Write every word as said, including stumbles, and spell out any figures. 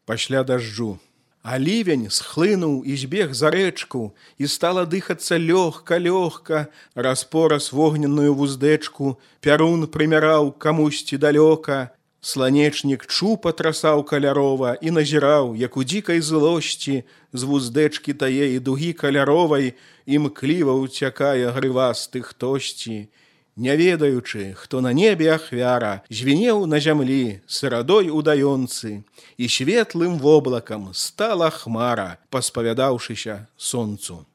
пасля дажджу. А ливень схлынуў і збег за рэчку, і стала дыхацца лёгка-лёгка, распораз вогненную вуздэчку, пярун прымяраў камусьці далёка. Сланечнік чу патрасаў калярова і назіраў, як у дзікай злосці з вуздэчкі тае і дугі каляровай імкліва ўцякае грывасты хтосьці. Не ведаючы, хто на небе ахвяра, звінеў на зямлі сырадой удаёнцы, і светлым воблакам стала хмара, паспавядаўшыся сонцу.